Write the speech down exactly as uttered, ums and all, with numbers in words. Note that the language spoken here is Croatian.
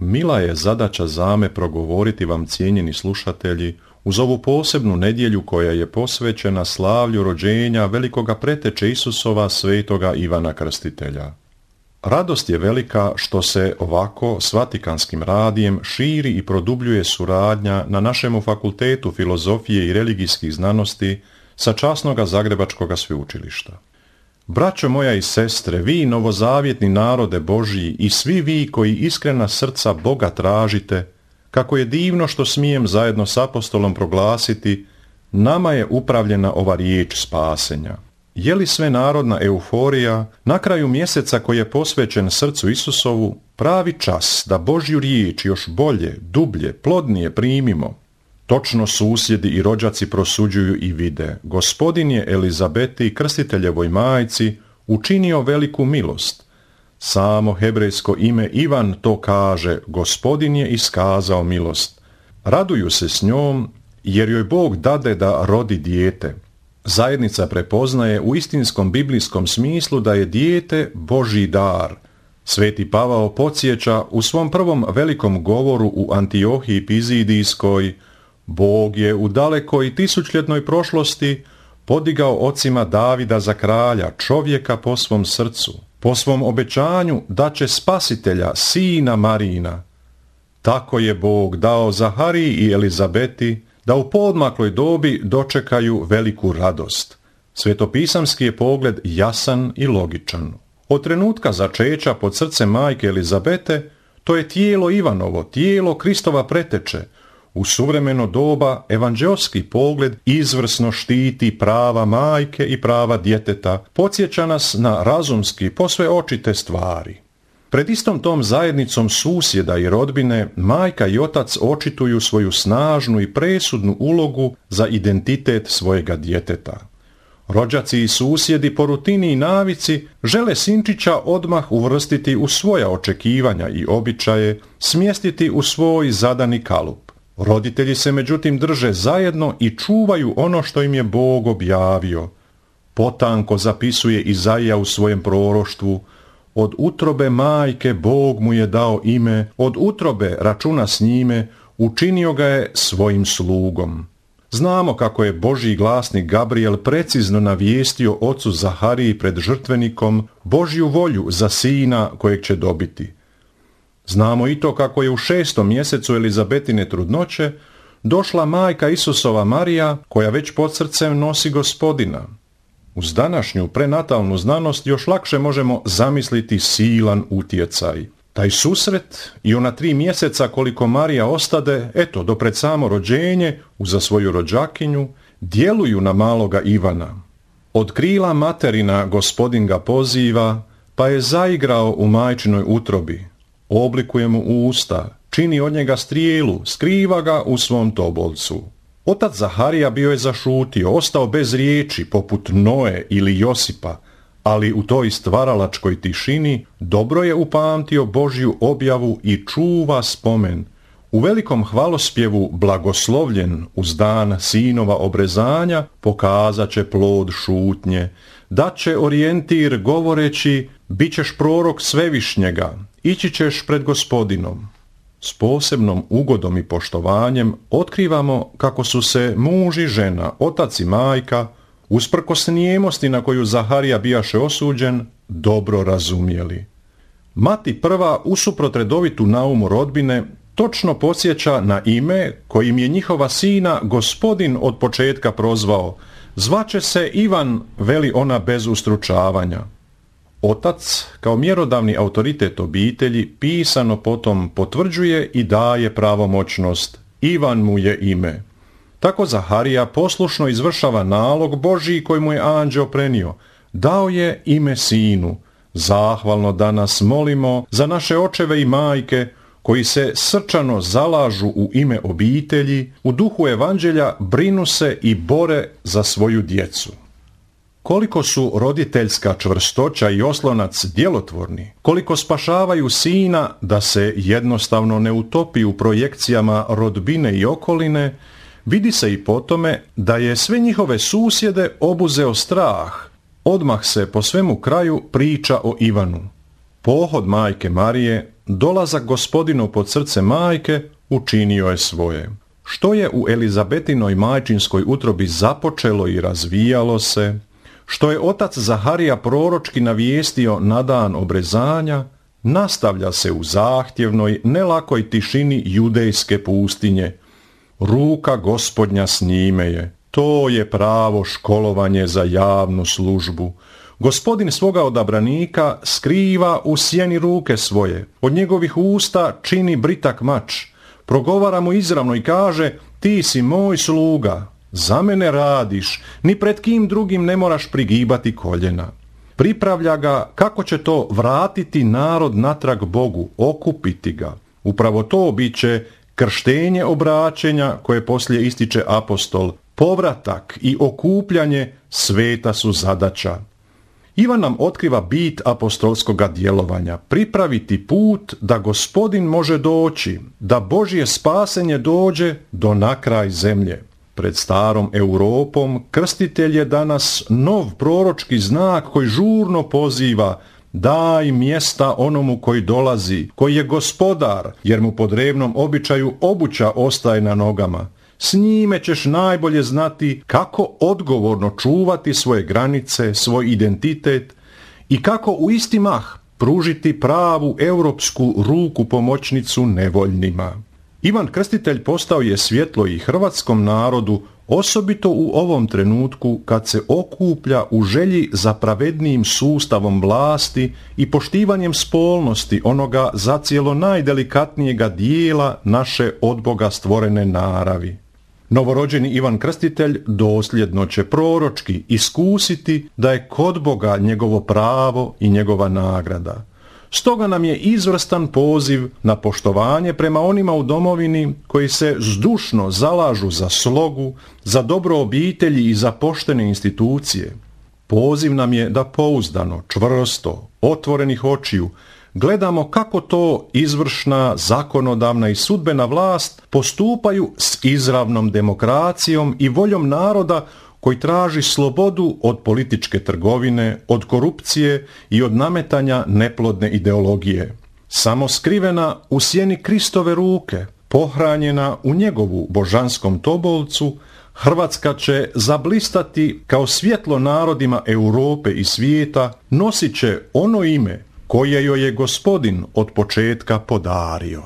mila je zadaća zame progovoriti vam, cijenjeni slušatelji, uz ovu posebnu nedjelju koja je posvećena slavlju rođenja velikoga preteče Isusova svetoga Ivana Krstitelja. Radost je velika što se ovako s Vatikanskim radijem širi i produbljuje suradnja na našemu fakultetu filozofije i religijskih znanosti sa časnoga Zagrebačkoga sveučilišta. Braćo moja i sestre, vi novozavjetni narode Božji i svi vi koji iskrena srca Boga tražite, kako je divno što smijem zajedno s apostolom proglasiti, nama je upravljena ova riječ spasenja. Je li sve narodna euforija na kraju mjeseca koji je posvećen srcu Isusovu pravi čas da Božju riječ još bolje, dublje, plodnije primimo? Točno susjedi i rođaci prosuđuju i vide. Gospodin je Elizabeti, krstiteljevoj majci, učinio veliku milost. Samo hebrejsko ime Ivan to kaže, Gospodin je iskazao milost. Raduju se s njom, jer joj Bog dade da rodi dijete. Zajednica prepoznaje u istinskom biblijskom smislu da je dijete Božji dar. Sveti Pavao podsjeća u svom prvom velikom govoru u Antiohiji Pizidijskoj: Bog je u dalekoj tisućljetnoj prošlosti podigao ocima Davida za kralja, čovjeka po svom srcu, po svom obećanju da će spasitelja, sina Marina. Tako je Bog dao Zahariji i Elizabeti da u poodmakloj dobi dočekaju veliku radost. Svetopisamski je pogled jasan i logičan. Od trenutka začeća pod srcem majke Elizabete, to je tijelo Ivanovo, tijelo Kristova preteče. U suvremeno doba evanđeoski pogled izvrsno štiti prava majke i prava djeteta, podsjeća nas na razumski, posve očite stvari. Pred istom tom zajednicom susjeda i rodbine, majka i otac očituju svoju snažnu i presudnu ulogu za identitet svojega djeteta. Rođaci i susjedi po rutini i navici žele sinčića odmah uvrstiti u svoja očekivanja i običaje, smjestiti u svoj zadani kalup. Roditelji se međutim drže zajedno i čuvaju ono što im je Bog objavio. Potanko zapisuje Izaija u svojem proroštvu: od utrobe majke Bog mu je dao ime, od utrobe računa s njime, učinio ga je svojim slugom. Znamo kako je Božji glasnik Gabriel precizno navijestio ocu Zahariji pred žrtvenikom Božju volju za sina kojeg će dobiti. Znamo i to kako je u šestom mjesecu Elizabetine trudnoće došla majka Isusova Marija, koja već pod srcem nosi Gospodina. Uz današnju prenatalnu znanost još lakše možemo zamisliti silan utjecaj. Taj susret i ona tri mjeseca koliko Marija ostade, eto, do pred samo rođenje, uza svoju rođakinju, djeluju na maloga Ivana. Od krila materina Gospodin ga poziva, pa je zaigrao u majčinoj utrobi. Oblikuje mu usta, čini od njega strijelu, skriva ga u svom tobolcu. Otac Zaharija bio je zašutio, ostao bez riječi, poput Noe ili Josipa, ali u toj stvaralačkoj tišini dobro je upamtio Božju objavu i čuva spomen. U velikom hvalospjevu blagoslovljen uz dan sinova obrezanja pokazat će plod šutnje, dat će orijentir govoreći: bit ćeš prorok Svevišnjega, ići ćeš pred Gospodinom. S posebnom ugodom i poštovanjem otkrivamo kako su se muž i žena, otac i majka, usprkos nijemosti na koju Zaharija bijaše osuđen, dobro razumjeli. Mati prva, usuprot redovitu naumu rodbine, točno podsjeća na ime kojim je njihova sina Gospodin od početka prozvao: zvaće se Ivan, veli ona bez ustručavanja. Otac, kao mjerodavni autoritet obitelji, pisano potom potvrđuje i daje pravomoćnost: Ivan mu je ime. Tako Zaharija poslušno izvršava nalog Božji koji mu je anđeo prenio. Dao je ime sinu. Zahvalno danas molimo za naše očeve i majke koji se srčano zalažu u ime obitelji, u duhu evanđelja brinu se i bore za svoju djecu. Koliko su roditeljska čvrstoća i oslonac djelotvorni, koliko spašavaju sina da se jednostavno ne utopi u projekcijama rodbine i okoline, vidi se i po tome da je sve njihove susjede obuzeo strah. Odmah se po svemu kraju priča o Ivanu. Pohod majke Marije dolazak Gospodinov pod srce majke učinio je svoje. Što je u Elizabetinoj majčinskoj utrobi započelo i razvijalo se, što je otac Zaharija proročki navijestio na dan obrezanja, nastavlja se u zahtjevnoj, nelakoj tišini judejske pustinje. Ruka Gospodnja s njime je. To je pravo školovanje za javnu službu. Gospodin svoga odabranika skriva u sjeni ruke svoje. Od njegovih usta čini britak mač. Progovara mu izravno i kaže: ti si moj sluga, za mene radiš, ni pred kim drugim ne moraš prigibati koljena. Pripravlja ga kako će to vratiti narod natrag Bogu, okupiti ga. Upravo to bit će krštenje obraćenja koje poslije ističe apostol. Povratak i okupljanje sveta su zadaća. Ivan nam otkriva bit apostolskoga djelovanja, pripraviti put da Gospodin može doći, da Božje spasenje dođe do nakraj zemlje. Pred starom Europom krstitelj je danas nov proročki znak koji žurno poziva: daj mjesta onomu koji dolazi, koji je gospodar, jer mu po drevnom običaju obuća ostaje na nogama. S njime ćeš najbolje znati kako odgovorno čuvati svoje granice, svoj identitet i kako u isti mah pružiti pravu europsku ruku pomoćnicu nevoljnima. Ivan Krstitelj postao je svjetlo i hrvatskom narodu, osobito u ovom trenutku kad se okuplja u želji za pravednijim sustavom vlasti i poštivanjem spolnosti onoga zacijelo najdelikatnijega dijela naše od Boga stvorene naravi. Novorođeni Ivan Krstitelj dosljedno će proročki iskusiti da je kod Boga njegovo pravo i njegova nagrada. Stoga nam je izvrstan poziv na poštovanje prema onima u domovini koji se zdušno zalažu za slogu, za dobro obitelji i za poštene institucije. Poziv nam je da pouzdano, čvrsto, otvorenih očiju gledamo kako to izvršna, zakonodavna i sudbena vlast postupaju s izravnom demokracijom i voljom naroda koji traži slobodu od političke trgovine, od korupcije i od nametanja neplodne ideologije. Samo skrivena u sjeni Kristove ruke, pohranjena u njegovu božanskom tobolcu, Hrvatska će zablistati kao svjetlo narodima Europe i svijeta, nosit će ono ime koje joj je Gospodin od početka podario.